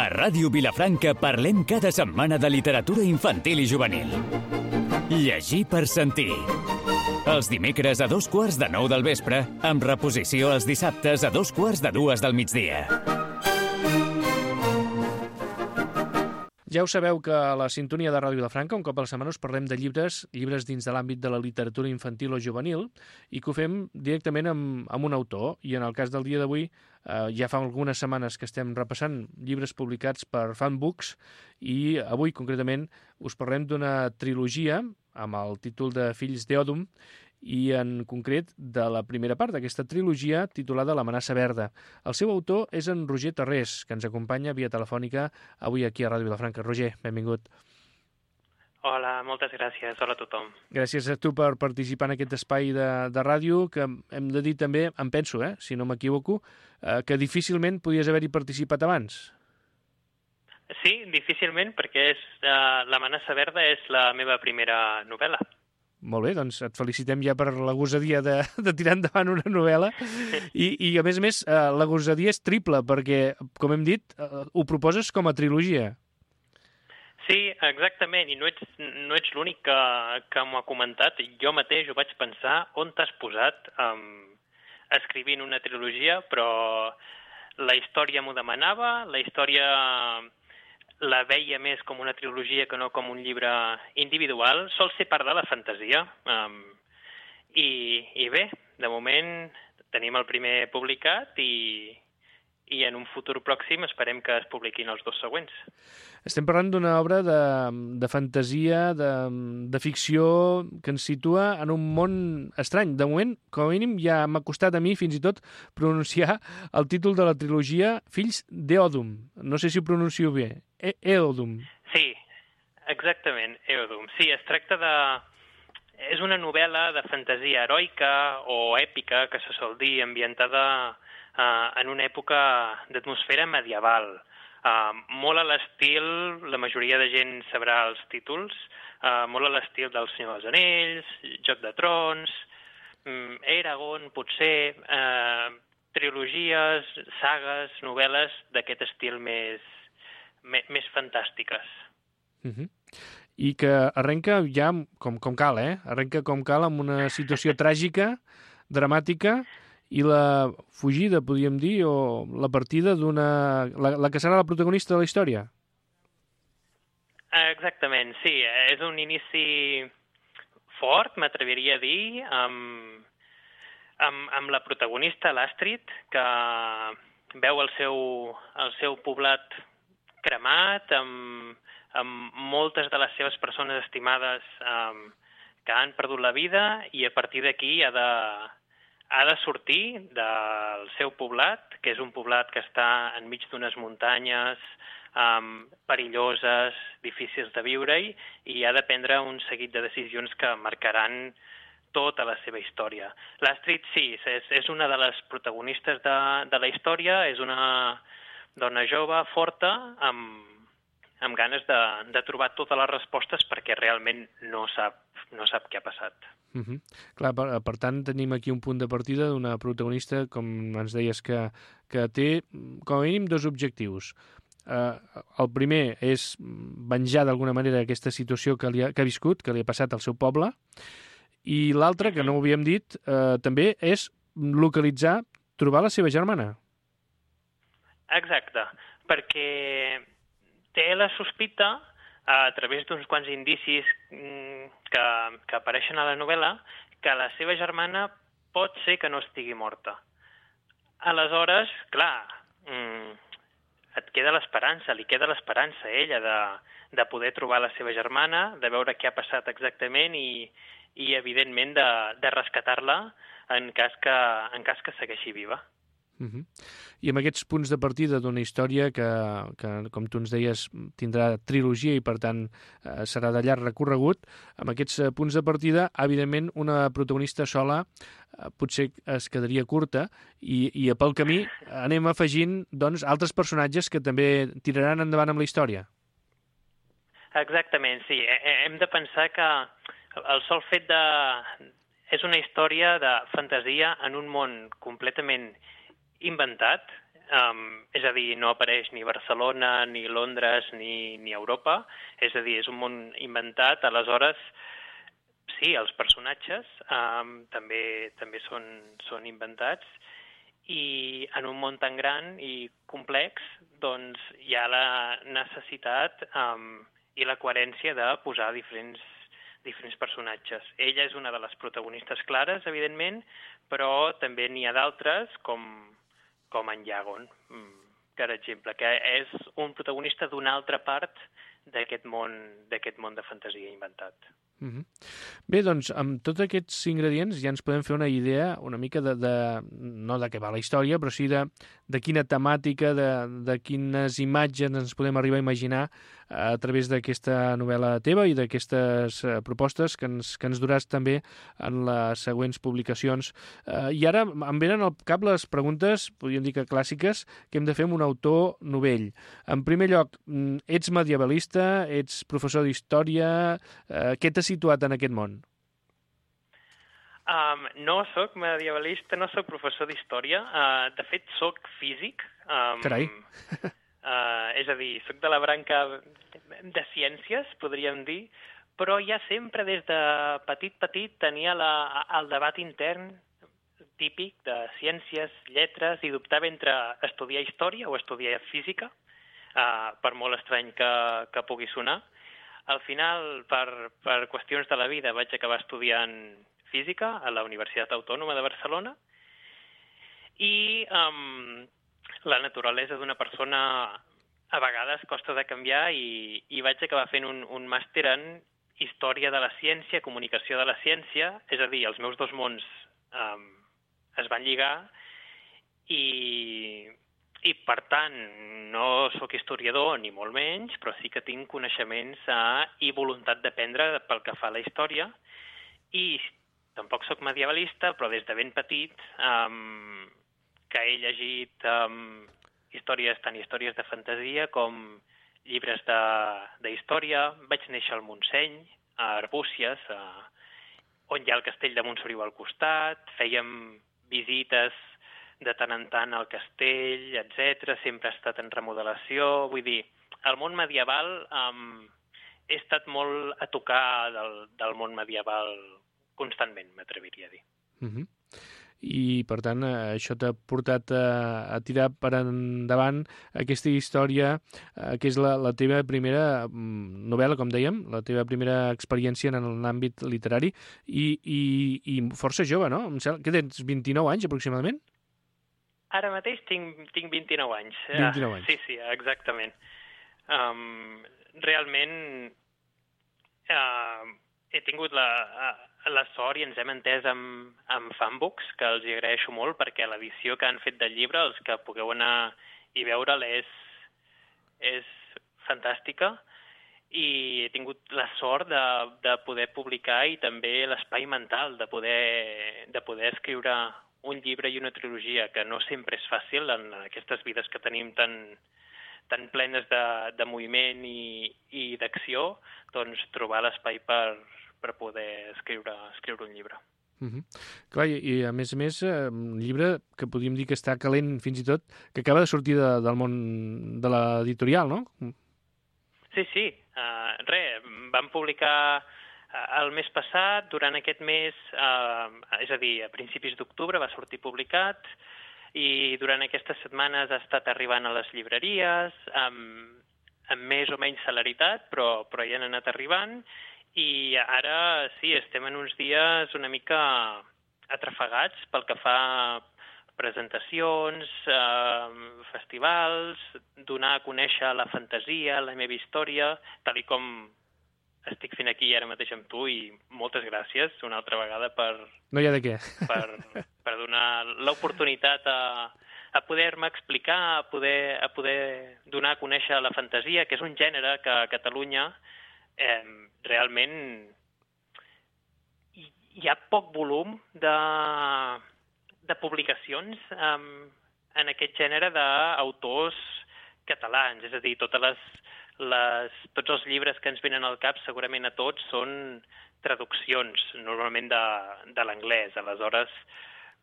A Ràdio Vilafranca parlem cada setmana de literatura infantil i juvenil. Llegir per sentir. Els dimecres a 8:45 del vespre, amb reposició els dissabtes a 2:45 del migdia. Ja ho sabeu que a la sintonia de Ràdio Vilafranca, un cop a la setmana, us parlem de llibres dins de l'àmbit de la literatura infantil o juvenil, i que ho fem directament amb un autor. I en el cas del dia d'avui, ja fa algunes setmanes que estem repassant llibres publicats per Fanbooks, i avui, concretament, us parlem d'una trilogia amb el títol de Fills d'Eòdum, i en concret de la primera part d'aquesta trilogia titulada L'amenaça verda. El seu autor és en Roger Tarrés, que ens acompanya via telefònica avui aquí a Ràdio Vilafranca. Roger, benvingut. Hola, moltes gràcies. Hola a tothom. Gràcies a tu per participar en aquest espai de ràdio, que hem de dir també, em penso, si no m'equivoco, que difícilment podies haver-hi participat abans. Sí, difícilment, perquè L'amenaça verda és la meva primera novel·la. Molt bé, doncs et felicitem ja per la gosadia de tirar endavant una novel·la. I a més, la gosadia és triple, perquè, com hem dit, ho proposes com a trilogia. Sí, exactament, i no ets l'únic que m'ho ha comentat. Jo mateix ho vaig pensar, on t'has posat escrivint una trilogia, però la història m'ho demanava, la història la veia més com una trilogia que no com un llibre individual. Sol ser part de la fantasia. I bé, de moment tenim el primer publicat i en un futur pròxim esperem que es publiquin els dos següents. Estem parlant d'una obra de fantasia, de ficció, que ens situa en un món estrany. De moment, com a mínim, ja m'ha costat a mi fins i tot pronunciar el títol de la trilogia Fills d'Eòdum. No sé si ho pronuncio bé. Eòdum. Sí, exactament, Eòdum. Sí, es tracta és una novel·la de fantasia heroica o èpica, que se sol dir, ambientada en una època d'atmosfera medieval. Molt a l'estil, la majoria de gent sabrà els títols, molt a l'estil del Senyor dels Anells, Joc de Trons, Eragon, potser, trilogies, sagues, novel·les d'aquest estil més fantàstiques. I que arrenca ja com cal, Arrenca com cal amb una situació tràgica, dramàtica, i la fugida, podríem dir, o la partida la que serà la protagonista de la història. Exactament, sí. És un inici fort, m'atreviria a dir, amb la protagonista, l'Astrid, que veu el seu poblat cremat, amb moltes de les seves persones estimades que han perdut la vida, i a partir d'aquí ha de sortir del seu poblat, que és un poblat que està enmig d'unes muntanyes perilloses, difícils de viure-hi, i ha de prendre un seguit de decisions que marcaran tota la seva història. L'Astrid, sí, és una de les protagonistes de la història, és una dona jove, forta, amb ganes de trobar totes les respostes perquè realment no sap què ha passat. Clar, per tant, tenim aquí un punt de partida d'una protagonista, com ens deies, que té, com a mínim, dos objectius. El primer és venjar d'alguna manera aquesta situació que ha viscut, que li ha passat al seu poble, i l'altre, que no ho havíem dit, també és localitzar, trobar la seva germana. Exacte, perquè té la sospita, a través d'uns quants indicis que apareixen a la novel·la, que la seva germana pot ser que no estigui morta. Aleshores, clar, et queda l'esperança, li queda l'esperança a ella de poder trobar la seva germana, de veure què ha passat exactament i evidentment, de rescatar-la en cas que segueixi viva. I amb aquests punts de partida d'una història que, com tu ens deies, tindrà trilogia i, per tant, serà de llarg recorregut, amb aquests punts de partida, evidentment, una protagonista sola potser es quedaria curta i pel camí anem afegint doncs, altres personatges que també tiraran endavant amb la història. Exactament, sí. Hem de pensar que el sol fet és una història de fantasia en un món completament inventat, És a dir, no apareix ni Barcelona, ni Londres, ni Europa. És a dir, és un món inventat. Aleshores, sí, els personatges també són inventats, i en un món tan gran i complex doncs hi ha la necessitat i la coherència de posar diferents personatges. Ella és una de les protagonistes clares, evidentment, però també n'hi ha d'altres, com en Yagon, per exemple, que és un protagonista d'una altra part d'aquest món de fantasia inventat. Bé, doncs, amb tots aquests ingredients ja ens podem fer una idea una mica no de què va la història, però sí de quina temàtica, de quines imatges ens podem arribar a imaginar a través d'aquesta novel·la teva i d'aquestes propostes que ens duràs també en les següents publicacions. I ara em venen al cap les preguntes, podríem dir que clàssiques, que hem de fer amb un autor novell. En primer lloc, ets medievalista, ets professor d'història, què t'ha situat en aquest món? No soc medievalista, no soc professor d'història. De fet, soc físic. Carai! És a dir, soc de la branca de ciències, podríem dir, però ja sempre des de petit tenia el debat intern típic de ciències, lletres, i dubtava entre estudiar història o estudiar física, per molt estrany que pugui sonar. Al final, per qüestions de la vida, vaig acabar estudiant física a la Universitat Autònoma de Barcelona, i la naturalesa d'una persona a vegades costa de canviar, i vaig acabar fent un màster en Història de la Ciència, Comunicació de la Ciència, és a dir, els meus dos mons es van lligar, i per tant no sóc historiador ni molt menys, però sí que tinc coneixements i voluntat d'aprendre pel que fa a la història, i tampoc sóc medievalista, però des de ben petit que he llegit tant històries de fantasia com llibres d'història. Vaig néixer al Montseny, a Arbúcies, on hi ha el castell de Montsoriu al costat, fèiem visites de tant en tant al castell, etc. Sempre ha estat en remodelació. Vull dir, el món medieval he estat molt a tocar del món medieval constantment, m'atreviria a dir. I, per tant, això t'ha portat a tirar per endavant aquesta història, que és la teva primera novel·la, com dèiem, la teva primera experiència en l'àmbit literari, i força jove, no? Em sembla que tens 29 anys, aproximadament? Ara mateix tinc 29 anys. 29 anys. Sí, exactament. Realment he tingut la sort, i ens hem entès amb Fanbooks, que els hi agraeixo molt, perquè l'edició que han fet del llibre, els que pugueu anar i veure'l, és fantàstica, i he tingut la sort de poder publicar, i també l'espai mental de poder escriure un llibre i una trilogia, que no sempre és fàcil en aquestes vides que tenim tan plenes de moviment i d'acció, doncs trobar l'espai per poder escriure un llibre. Clar, i a més, un llibre que podríem dir que està calent fins i tot, que acaba de sortir del món de l'editorial, no? Sí. Vam publicar el mes passat, durant aquest mes, és a dir, a principis d'octubre va sortir publicat, i durant aquestes setmanes ha estat arribant a les llibreries, amb més o menys celeritat, però ja han anat arribant, i ara sí, estem en uns dies una mica atrafegats pel que fa a presentacions, festivals, donar a conèixer la fantasia, la meva història, tal com estic fent aquí ara mateix amb tu, i moltes gràcies una altra vegada no hi ha de què. per donar l'oportunitat a poder-me explicar, a poder donar a conèixer la fantasia, que és un gènere que a Catalunya realment hi ha poc volum de publicacions en aquest gènere d'autors catalans, és a dir, tots els llibres que ens venen al cap, segurament a tots, són traduccions, normalment de l'anglès. Aleshores,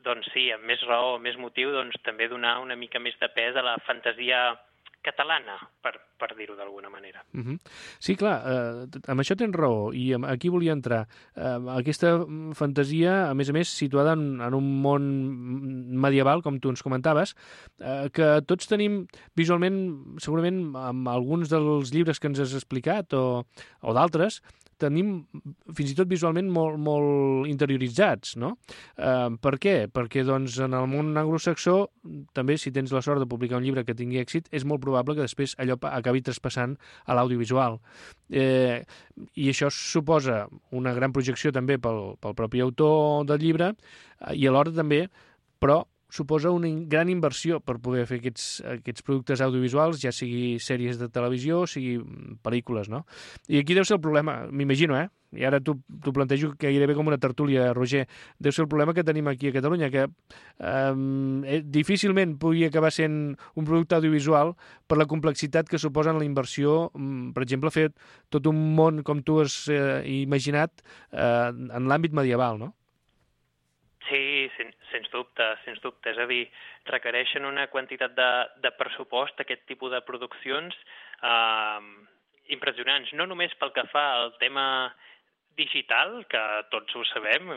doncs sí, amb més raó, amb més motiu, doncs també donar una mica més de pes a la fantasia catalana, per dir-ho d'alguna manera. Sí, clar, amb això tens raó, i aquí volia entrar. Aquesta fantasia, a més, situada en un món medieval, com tu ens comentaves, que tots tenim visualment, segurament, amb alguns dels llibres que ens has explicat o d'altres, tenim fins i tot visualment molt interioritzats, no? Per què? Perquè doncs, en el món anglosaxó, també, si tens la sort de publicar un llibre que tingui èxit, és molt probable que després allò acabi traspassant a l'audiovisual. I això suposa una gran projecció també pel propi autor del llibre i alhora també, però suposa una gran inversió per poder fer aquests productes audiovisuals, ja sigui sèries de televisió, sigui pel·lícules, no? I aquí deu ser el problema, m'imagino, i ara t'ho plantejo gairebé com una tertúlia, Roger, deu ser el problema que tenim aquí a Catalunya, que difícilment pugui acabar sent un producte audiovisual per la complexitat que suposa en la inversió, per exemple, fer tot un món, com tu has imaginat, en l'àmbit medieval, no? Sí, sens dubte. És a dir, requereixen una quantitat de pressupost, aquest tipus de produccions, impressionants. No només pel que fa al tema digital, que tots ho sabem,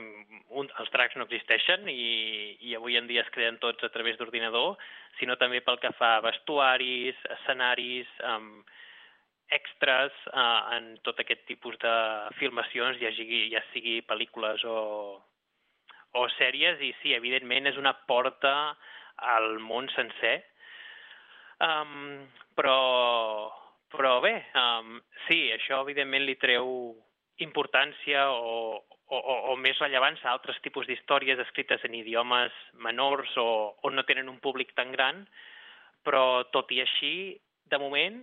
els dracs no existeixen i avui en dia es creen tots a través d'ordinador, sinó també pel que fa a vestuaris, escenaris, extras, en tot aquest tipus de filmacions, ja sigui pel·lícules o sèries, i sí, evidentment és una porta al món sencer. Però bé, sí, això evidentment li treu importància o més rellevància a altres tipus d'històries escrites en idiomes menors o no tenen un públic tan gran, però tot i així, de moment,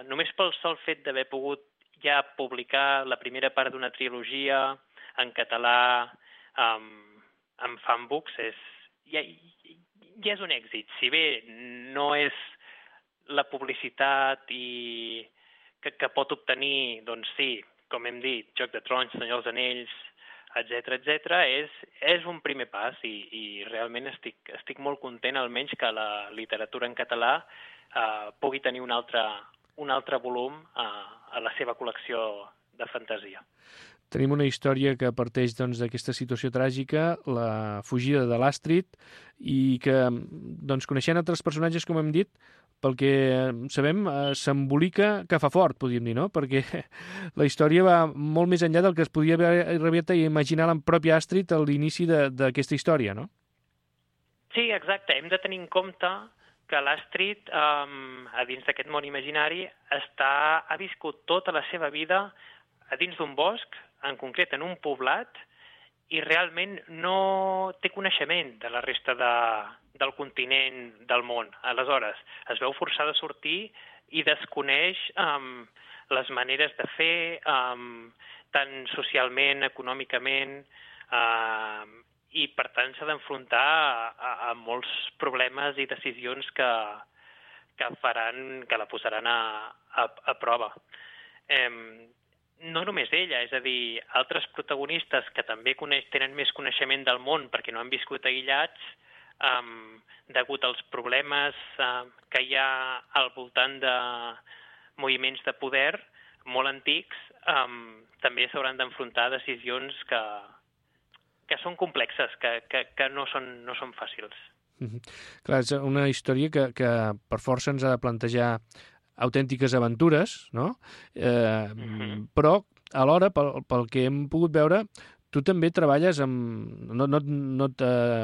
només pel sol fet d'haver pogut ja publicar la primera part d'una trilogia en català, amb fanbooks, ja és un èxit. Si bé no és la publicitat que pot obtenir, doncs sí, com hem dit, Joc de Trons, Senyor dels Anells, etc., és un primer pas i realment estic molt content, almenys, que la literatura en català pugui tenir un altre volum a la seva col·lecció de fantasia. Tenim una història que parteix d'aquesta situació tràgica, la fugida de l'Astrid, i que, coneixent altres personatges, com hem dit, pel que sabem, s'embolica que fa fort, podríem dir, no? Perquè la història va molt més enllà del que es podia haver rebut a imaginar la pròpia Astrid a l'inici d'aquesta història, no? Sí, exacte. Hem de tenir en compte que l'Astrid, a dins d'aquest món imaginari, ha viscut tota la seva vida a dins d'un bosc, en concret en un poblat, i realment no té coneixement de la resta del continent del món. Aleshores, es veu forçada a sortir i desconeix les maneres de fer, tant socialment, econòmicament, i per tant s'ha d'enfrontar a molts problemes i decisions que la posaran a prova. No només ella, és a dir, altres protagonistes que també tenen més coneixement del món perquè no han viscut aïllats, degut als problemes que hi ha al voltant de moviments de poder molt antics, també s'hauran d'enfrontar a decisions que són complexes, que no són fàcils. Clar, és una història que per força ens ha de plantejar autèntiques aventures, no? Però, alhora, pel que hem pogut veure, tu també treballes no et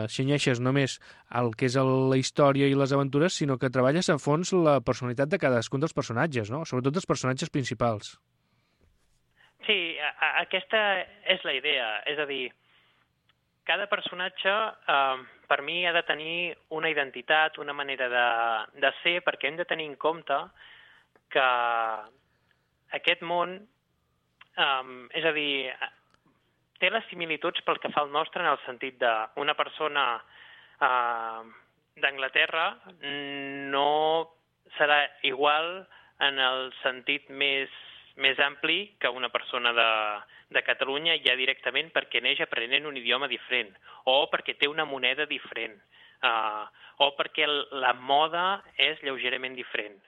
cenyeixes només al que és la història i les aventures, sinó que treballes a fons la personalitat de cadascun dels personatges, no? Sobretot dels personatges principals. Sí, aquesta és la idea. És a dir, cada personatge, per mi, ha de tenir una identitat, una manera de ser, perquè hem de tenir en compte que aquest món, és a dir, té les similituds pel que fa al nostre en el sentit d'una persona d'Anglaterra no serà igual en el sentit més més ampli que una persona de Catalunya ja directament perquè neix aprenent un idioma diferent, o perquè té una moneda diferent, o perquè la moda és lleugerament diferent.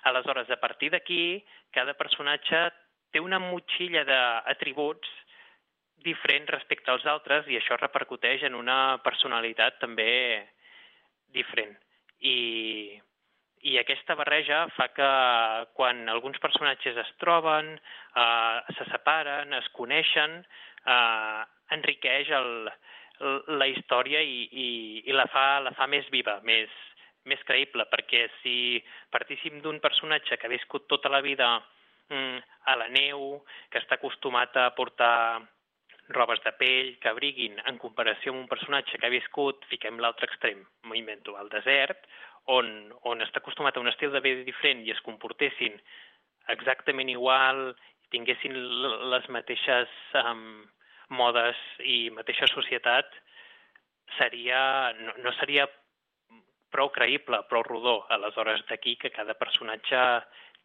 Aleshores, a partir d'aquí, cada personatge té una motxilla d'atributs diferent respecte als altres i això repercuteix en una personalitat també diferent. I aquesta barreja fa que quan alguns personatges es troben, se separen, es coneixen, enriqueix la història i la fa més viva, més creïble, perquè si partíssim d'un personatge que ha viscut tota la vida a la neu, que està acostumat a portar robes de pell que abriguin, en comparació amb un personatge que ha viscut, fiquem l'altre extrem, m'ho invento, al desert, on està acostumat a un estil de vida diferent i es comportessin exactament igual, tinguessin les mateixes modes i mateixa societat, no seria prou creïble, prou rodó. Aleshores, d'aquí que cada personatge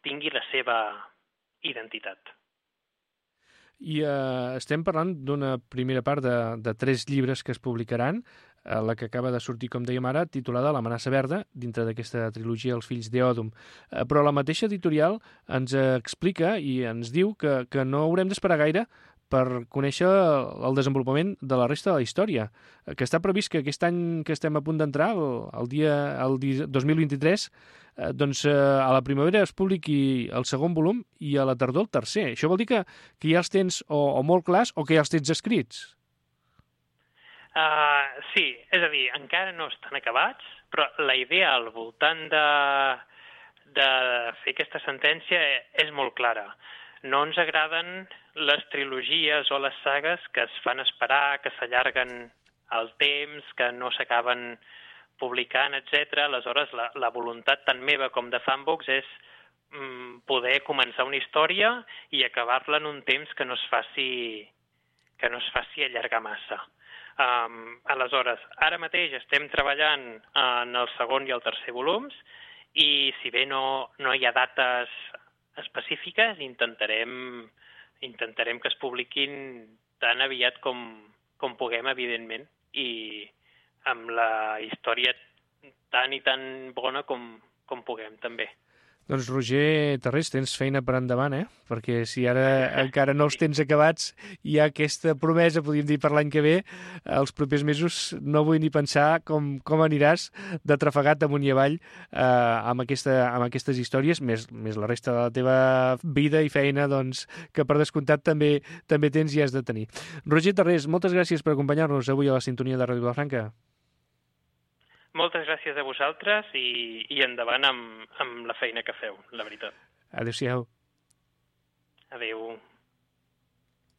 tingui la seva identitat. I estem parlant d'una primera part de 3 llibres que es publicaran, la que acaba de sortir, com dèiem ara, titulada L'amenaça verda, dintre d'aquesta trilogia Els fills d'Eòdum. Però la mateixa editorial ens explica i ens diu que no haurem d'esperar gaire per conèixer el desenvolupament de la resta de la història, que està previst que aquest any que estem a punt d'entrar, el 2023, doncs a la primavera es publiqui el segon volum i a la tardor el tercer. Això vol dir que ja els tens o molt clars o que ja els tens escrits? Sí, és a dir, encara no estan acabats, però la idea al voltant de fer aquesta sentència és molt clara. No ens agraden les trilogies o les sagues que es fan esperar, que s'allarguen el temps, que no s'acaben publicant, etc. Aleshores, la voluntat tant meva com de Fanbox és poder començar una història i acabar-la en un temps que no es faci allargar massa. Aleshores, ara mateix estem treballant en el segon i el tercer volums i si bé no hi ha dates específiques, intentarem que es publiquin tan aviat com puguem, evidentment, i amb la història tan i tan bona com puguem, també. Doncs, Roger Tarrés, tens feina per endavant, Perquè si ara encara no els tens acabats, hi ha aquesta promesa, podríem dir, per l'any que ve, els propers mesos no vull ni pensar com aniràs de trafegat amunt i avall amb aquestes històries, més la resta de la teva vida i feina, doncs, que per descomptat també tens i has de tenir. Roger Tarrés, moltes gràcies per acompanyar-nos avui a la sintonia de Ràdio Vilafranca. Moltes gràcies a vosaltres i endavant amb la feina que feu, la veritat. Adéu-siau. Adéu.